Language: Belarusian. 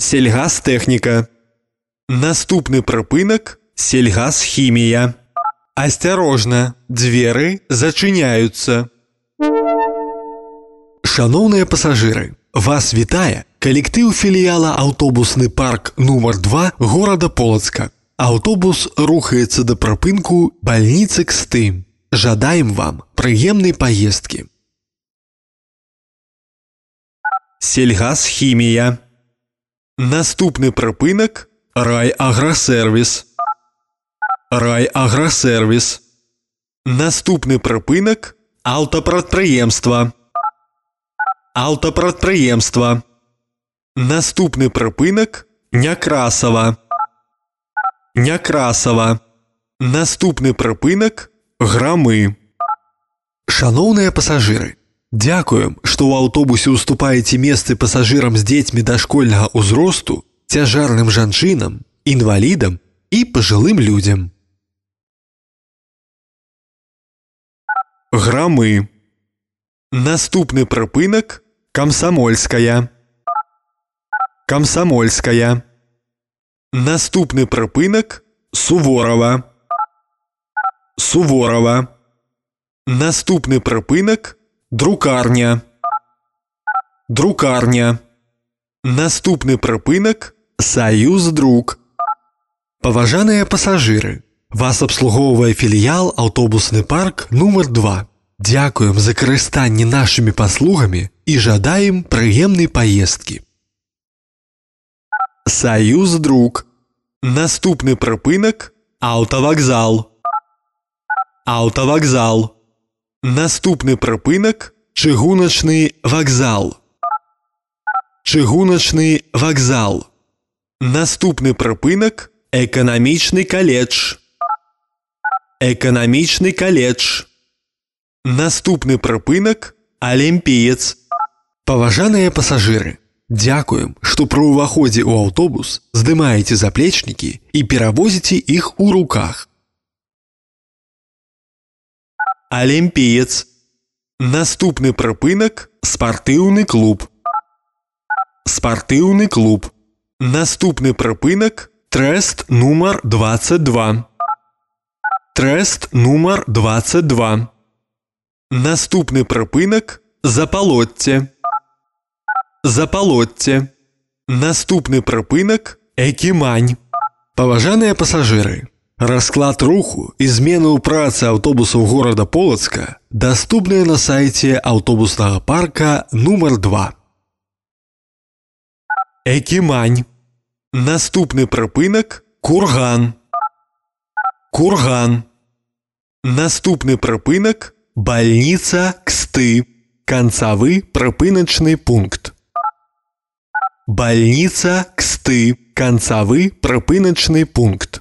Сельгазтэхніка. Наступны прыпынак – сельгазхімія. Асцярожна, дзверы зачыняюцца. Шаноўныя пасажыры, вас вітае калектыў філіяла аўтобусны парк нумар 2 горада Полацка. Аўтобус рухаецца да прыпынку бальніцы Ксты. Жадаем вам прыемнай паездкі. Сельгазхімія. Наступны прыпынак – райаграсервіс. Райаграсервіс. Наступны прыпынак – аўтапрадпрыемства. Аўтапрадпрыемства. Наступны прыпынак – Някрасава. Някрасава. Наступны прыпынак – Грамы. Шаноўныя пасажыры, дзякуем, што ў аўтобусе ўступаеце месцы пасажырам з дзецьмі дашкольнага ўзросту, цяжарным жанчынам, інвалідам і пажылым людзям. Грамы. Наступны прыпынак – Камсамольская. Камсамольская. Наступны прыпынак – Суворова. Суворова. Наступны прыпынак – Друкарня. Друкарня. Наступны прыпынак – Саюздрук. Паважаныя пасажыры, вас абслугоўвае філіял аўтобусны парк нумар 2. Дзякуем за карыстанне нашымі паслугамі і жадаем прыемнай паездкі. Саюздрук. Наступны прыпынак – Аўтавакзал. Аўтавакзал. Наступны прыпынак – Чыгуначны вакзал. Чыгуначны вакзал. Наступны прыпынак – Эканамічны каледж. Эканамічны каледж. Наступны прыпынак – Алімпіец. Паважаныя пасажыры, дзякуем, што пры ўваходзе ў аўтобус здымаеце заплечнікі і перавозіце іх у руках. Алімпіец. Наступны прыпынак – Спартыўны клуб. Спартыўны клуб. Наступны прыпынак – Трэст нумар 22. Трэст нумар 22. Наступны прыпынак – Запалотце. Запалотце. Наступны прыпынак – Экімань. Паважаныя пасажыры, расклад руху і змены ў працы аўтобусаў горада Полацка даступныя на сайце аўтобуснага парка нумар 2. Экімань. Наступны прыпынак – Курган. Курган. Наступны прыпынак – Бальніца Ксты. Канцавы прыпыначны пункт. Бальніца Ксты. Канцавы прыпыначны пункт.